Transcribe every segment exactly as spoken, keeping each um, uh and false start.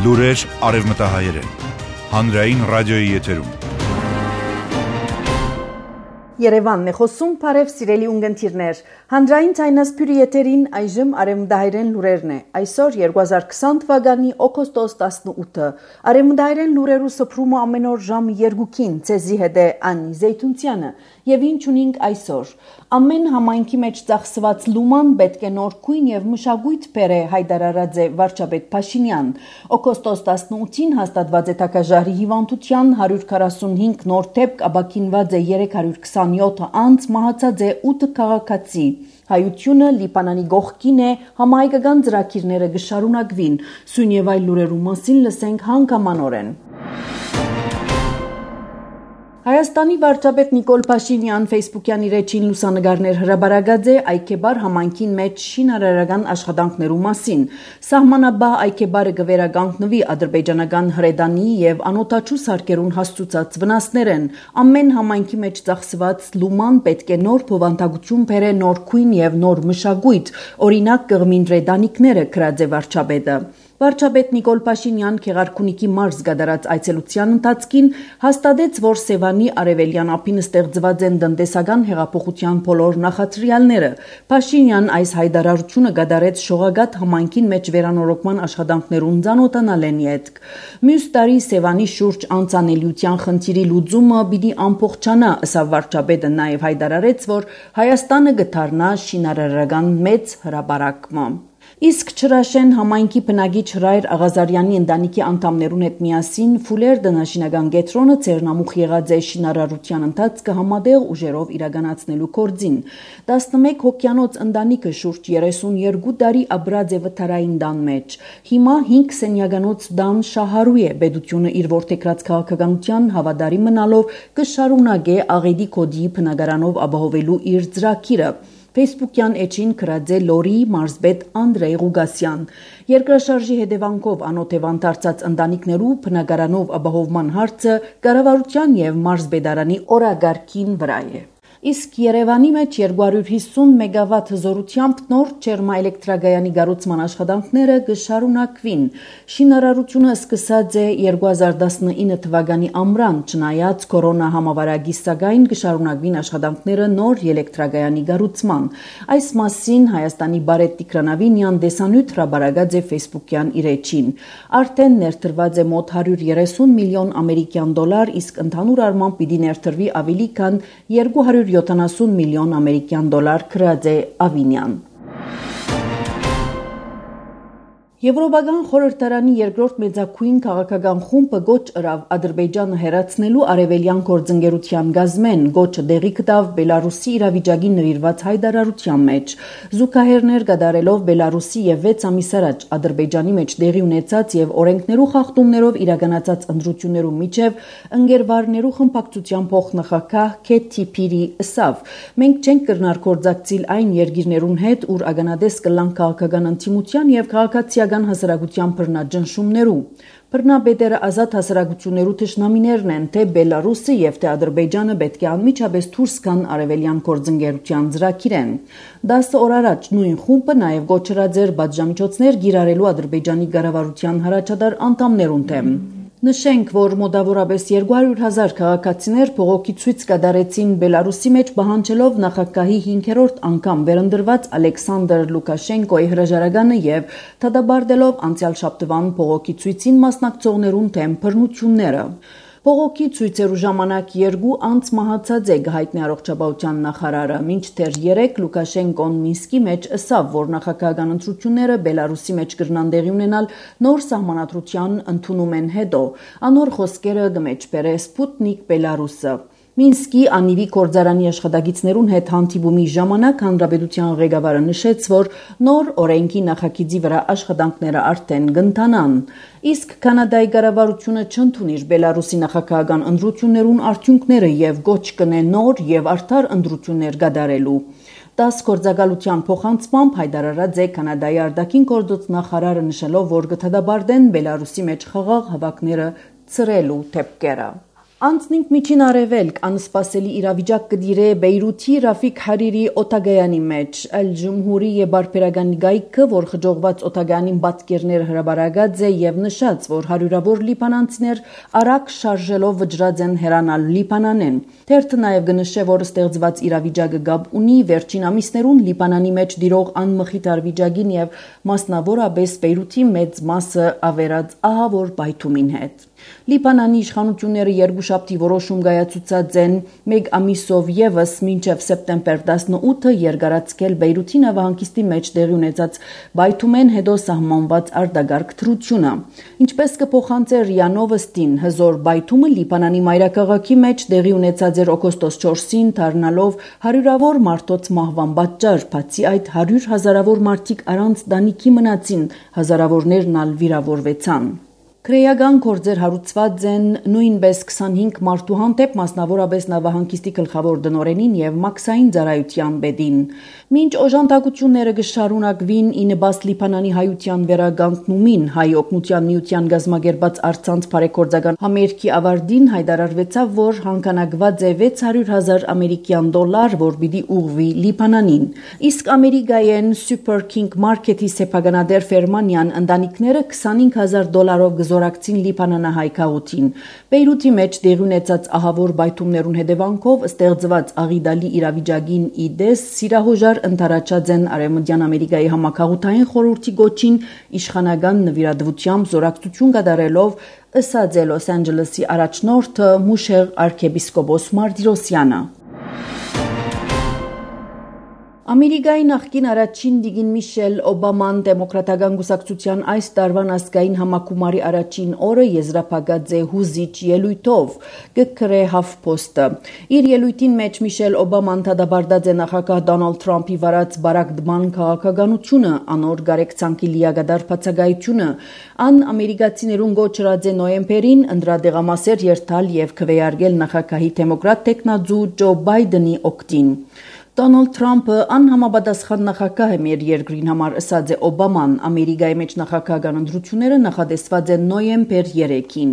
Լուրեր արևմտահայերեն։ Հանրային ռադիոյի եթերում։ Երևանն է խոսում, բարև սիրելի ունգընտիրներ։ Հանրային ցայնասփյուրի եթերին այժմ արևմտահայերեն լուրերն է։ Այսօր երկու հազար քսան թվականի օգոստոս տասնութը։ Արևմտահայերեն լուրերու սփռումը ամեն օր ժամը երկուքին ցեզի հետ է Անի Զեյթունցյանը։ Եվ ինչ ունենք այսօր։ Ամեն համայնքի մեջ ծախսված լուման պետք է նոր քույն եւ մշակույթ բերե հայտարարած է վարչապետ Փաշինյան։ Օգոստոս տասնութին հաստատված է Թակաժարի հիվանդության հարյուր քառասունհինգ նոր դեպք, ապաքինված է երեք հարյուր քսանյոթ անց, մահացած է ութ քաղաքացի։ Հայությունը Լիբանանի գողքին է, համահայկական ծրագիրները կշարունակվին։ Սույն եւ այլ լուրերու մասին լսենք հանգամանորեն։ Հայաստանի վարչապետ Նիկոլ Փաշինյան Facebook-յան իր էջին լուսանգարներ հրաբարացած է Այքեբար համայնքին մեջ շինարարական աշխատանքներու մասին։ Սահմանաբար Այքեբարը կվերականգնվի ադրբեջանական հրեդանի եւ անօթաչու սարքերուն հասցուցած վնասներեն։ Ամեն համայնքի մեջ ծախսված լուման պետք է նոր փոխանցություն բերե նոր քույն եւ նոր մշակույթ, օրինակ կղմին ռեդանիկները գրած է վարչապետը։ Վարչապետ Նիկոլ Փաշինյան Քեղարքունիքի մարզ գդարած այցելության ընթացքին հաստատեց, որ Սևանի արևելյան ափին ստեղծված են տնտեսական հեղափոխության բոլոր նախադրյալները։ Փաշինյան այս հայտարարությունը գդարեց Շողագաթ համայնքին մեջ վերանորոգման աշխատանքներուն ծանոթանալեն յետք։ Մյուս տարի Սևանի շուրջ անցանելիության խնդիրի լուծումը պիտի ամփոփչանա, ըստ վարչապետը նաև հայտարարեց, որ Հայաստանը կդառնա շինարարական մեծ հրապարակը։ Իսկ Չրաշեն համայնքի բնակիչ Հրայր Աղազարյանի ընտանիքի անդամներուն հետ միասին Ֆուլեր դնաշինական կենտրոնը ցերնամուխ եղած է շինարարության ընթացքը համատեղ ուժերով իրականացնելու գործին։ տասնմեկ հոգյանոց ընտանիքը շուրջ երեսունյոթ տարի ապրած է վթարային տան մեջ։ Հիմա հինգ սենյականոց տան շահարու է, պետությունը իր որդեգրած քաղաքականության հավատարիմ մնալով կշարունակե աղետի կոդի բնակարանով ապահովելու իր ծրագիրը։ Facebook-յան էջին գրած է Լորի մարզպետ Անդրեյ Ղուգասյան։ Երկրաշարժի հետևանքով անօթևան դարձած ընտանիքներու բնակարանով ապահովման հարցը կառավարության եւ մարզպետարանի օրագարկին վրա է։ Իսկ Երևանի մեջ երկու հարյուր հիսուն մեգավատ հզորությամբ նոր ջերմաէլեկտրագայանի կառուցման աշխատանքները կշարունակվին։ Շինարարությունը սկսած է երկու հազար տասնինը թվականի ամռան, չնայած կորոնա համավարակի սակայն կշարունակվին աշխատանքները նոր էլեկտրագայանի կառուցման։ Այս մասին Հայաստանի Բարետ Տիգրանավինյան դեսանյութ հրաբարացած է Facebook-յան իր էջին։ Արդեն ներդրված է մոտ հարյուր երեսուն միլիոն ամերիկյան դոլար, իսկ ընդհանուր առմամբ պիտի ներդրվի ավելի քան երկու հարյուր յոթանասուն միլիոն ամերիկյան դոլար, գրած է Ավինյան։ Եվրոպական խորհրդարանի երկրորդ մեծակույն քաղաքական խումբը գոչ ըրավ Ադրբեջանը հերացնելու արևելյան գործընկերության գազմեն, գոչը դեղի գտավ Բելարուսի իրավիճակին նվիրված հայտարարության մեջ։ Զուգահեռներ կատարելով Բելարուսի եւ վեց ամիս առաջ Ադրբեջանի մեջ դեղի ունեցած եւ օրենքներու խախտումներով իրականացած ընտրություններու միջև ընկերվարներու խմբակցության փոխնախագահ Քեթի Փիրի ըսավ. մենք չենք կրնար գործակցել այն երկիրներուն հետ, ուր ագանադես կլան քաղաքական ընդդիմության եւ քաղաքացիական հասարակության բռնաճնշումներու։ Բռնապետերը ազատ հասարակություններու թշնամիներն են, թե Բելարուսը եւ թե Ադրբեջանը պետք է անմիջապես դուրս գան արևելյան գործընկերության ծրագիրեն։ Դասը օր առաջ նույն խումբը նաեւ գոչրած էր բաժամիջոցներ գիրառելու Ադրբեջանի կառավարության հրաչադար անդամներուն դեմ։ Նշենք, որ մոտավորապես երկու հարյուր հազար քաղաքացիներ փողոքի ցույց կատարեցին Բելարուսի մեջ պահանջելով նախագահի հինգերորդ անգամ վերընտրված Ալեքսանդր Լուկաշենկոյի հրաժարականը եւ դատապարտելով անցյալ շաբթվան փողոքի ցույցին մասնակցողներուն դեմ բռնությունները։ Փողոքի ցույցերու ժամանակ երկու անց մահացած է գահիտնի առողջապահության նախարարը, մինչդեռ երեք Լուկաշենկոն Մինսկի մեջ ըսավ, որ նախագահական ընտրությունները Բելարուսի մեջ կրնան տեղի ունենալ նոր սահմանադրության ընդունումեն հետո։ Անոր խոսքերը կմեջբերե Սպուտնիկ Բելարուսը։ Մինսկի անիվի կորձարանի աշխատակիցներուն հետ հանդիպումի ժամանակ հանրապետության ղեկավարը նշեց, որ նոր օրենքի նախագիծի վրա աշխատանքները արդեն կընթանան։ Իսկ Կանադայի կառավարությունը չընդունիր Բելարուսի նախագահական ընտրություններուն արդյունքները եւ գոչ կնե նոր եւ արդար ընտրություններ կատարելու։ Դաս գործակալության փոխանցմամբ հայտարարած է Կանադայի արտաքին գործոց նախարարը, նշելով, որ կդատապարտեն Բելարուսի մեջ խաղաղ հավաքները ծրելու դեպքերը։ Անցնինք միջին արևելք, անսպասելի իրավիճակ կդիրե Բեյրութի Ռաֆիկ Հարիրի օտագայանի մեջ, Ալ Ջումհուրի եւ բարբերական գայքը, որ խջողված օտագայանին պատկերներ հրաբարագած է եւ նշած, որ հարյուրավոր լիբանանցիներ արագ շարժելով վճռած են հեռանալ Լիբանանեն։ Թերթը նաեւ կնշե, որ ստեղծված իրավիճակը գաբ ունի վերջին ամիսներուն Լիբանանի մեջ դիրող անմխիթ արվիճակին եւ մասնավորապես Բեյրութի մեծ մասը ավերած ահավոր բայթումին հետ։ Լիբանանի իշխանությունները երկուշաբթի որոշում կայացուցած են մեկ ամիսով եւս մինչև սեպտեմբեր տասնութը երկարացկել Բեյրութի նավահանգիստի մեջ տեղի ունեցած բայթումեն հետո սահմանված արտագարգ թրությունը։ Ինչպես կփոխանցե ՌԻԱ Նովոստին, հզոր բայթումը Լիբանանի մայրաքաղաքի մեջ տեղի ունեցած էր օգոստոս չորսին, դառնալով հարյուրավոր մարդոց մահվան պատճառ, բացի այդ հարյուր հազարավոր մարդիկ առանց տանիքի մնացին, հազարավորներն ալ վիրավորվեցան։ Քրեական գործեր հարուցված են նույնպես քսանհինգ մարդու հանդեպ, մասնավորապես նավահանգիստի գլխավոր դնորենին եւ մաքսային ծառայության պետին։ Մինչ օժանդակությունները կշարունակվին ի նպաստ Լիբանանի հայության վերականգնումին, հայ օգնության միության գազམ་ագերբած արցանց բարեգործական համերգի ավարտին հայտարարվեցավ, որ հանգանակված է վեց հարյուր հազար ամերիկյան դոլար, որ պիտի ուղղվի Լիբանանին։ Իսկ ամերիկայեն Super King Market-ի սեփականատեր Ֆերմանյան ընտանիքները քսանհինգ հազար դոլարով զորակցին Լիբանանահայ քաղաքին։ Բեյրութի մեջ տեղի ունեցած ահավոր բայթումներուն հետևանքով ստեղծված աղիդալի իրավիճակին ի դես սիրահոժար ընթարաճած են Արևմտյան Ամերիկայի համակարգային խորհրդի գոչին իշխանական նվիրատվությամբ զորակցություն կատարելով, ըսած է Լոս Անջելեսի առաջնորդը Մուշեղ arczepiskopos Martirosyan-ը։ Ամերիկայի նախկին առաջին դիգին Միշել Օբաման դեմոկրատական կուսակցության այս տարվան ազգային համակումարի առաջին օրը եզրափակած է հուզիչ ելույթով, կգրե HuffPost-ը։ Իր ելույթին մեջ Միշել Օբաման դադարեցրած է նախագահ Դոնալդ Թրամփի վարած բարակդման քաղաքականությունը, անոր գարեկցանքի լիակատար բացակայությունը, ան ամերիկացիներուն գոչրած է նոյեմբերին ընդրադեղամասեր երթալ եւ քվեարկել նախագահի դեմոկրատ տեխնազու Ջո Բայդենի օգտին։ Դոնալդ Թրամփը անհամապատասխան նախագահ է մեր երկրին համար, ըսած է Օբաման։ Ամերիկայի մեջ նախագահական ընտրությունները նախատեսված են նոյեմբեր երեքին։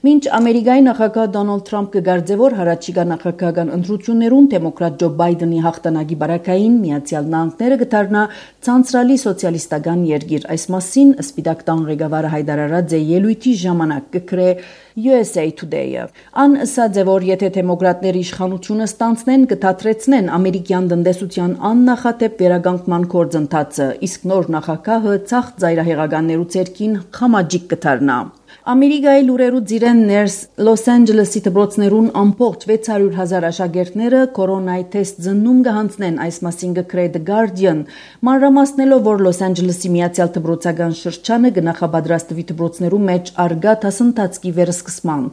Մինչ Ամերիկայի նախագահ Դոնալդ Թրամփը կգարձե, որ հառաջիկա նախագահական ընտրություններուն դեմոկրատ Ջո Բայդենի հաղթանակի բարակային Միացյալ Նահանգները կդառնա ցանցրալի սոցիալիստական երկիր։ Այս մասին Սպիտակ տան ղեկավարը հայտարարած է ելույթի ժամանակ, կգրե U S A Today-ը։ Ան ըսած է, որ եթե դեմոկրատները իշխանությունը ստանցնեն, կդադրեցնեն ամերիկյան տնտեսության աննախադեպ վերականգնման գործընթացը, իսկ նոր նախագահը ցախ ծայրահեղականներու ցերքին խամաջիկ կդառնա։ Ամերիկայի լուրերու ձիրեններս Լոս Անջելեսի դպրոցներուն ամբողջ վեց հարյուր հազար աշակերտները կորոնայի թեստ զննում կհանձնեն, այս մասին կգրե The Guardian, մանրամասնելով, որ Լոս Անջելեսի միացյալ դպրոցական շրջանը կնախապատրաստվի դպրոցներու մեջ արգա դասընթացքի վերսկսման։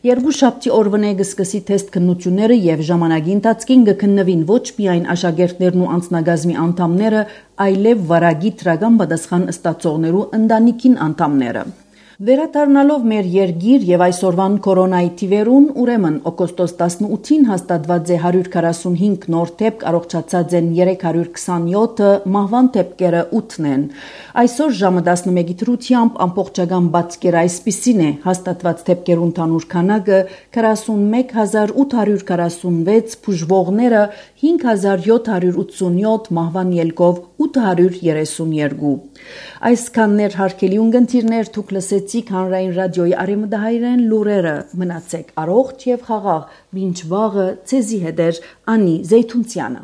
Երկուշաբթի օրվանե կսկսի թեստ քննությունները եւ ժամանակի ընթացքին կքննվին ոչ միայն աշակերտներն ու անձնագազմի անդամները, այլև վարագի դրական պատասխան ստացողներու ընտանիքին անդամները։ Վերադառնալով մեր երգիր եւ այսօրվան կորոնայի թիվերուն, ուրեմն օգոստոս տասնութին հաստատված է հարյուր քառասունհինգ նոր դեպք, առողջացած են երեք հարյուր քսանյոթը, մահվան դեպքերը ութն են։ Այսօր ժամը տասնմեկի դրությամբ ամբողջական բացկերը այսպիսին է, հաստատված դեպքերուն ընդհանուր քանակը քառասունմեկ հազար ութ հարյուր քառասունվեց, բուժվողները հինգ հազար յոթ հարյուր ութսունյոթ, մահվան ելքով ութ հարյուր երեսունյոթ։ Այսքաններ հարգելի ունկնդիրներ, դուք լսեցիք Հանրային ռադիոյի արևմտահայերեն լուրերը, մնացեք առողջ եւ խաղաղ, մինչ վաղը ցեզի հետ էր Անի Զեյթունցյանը։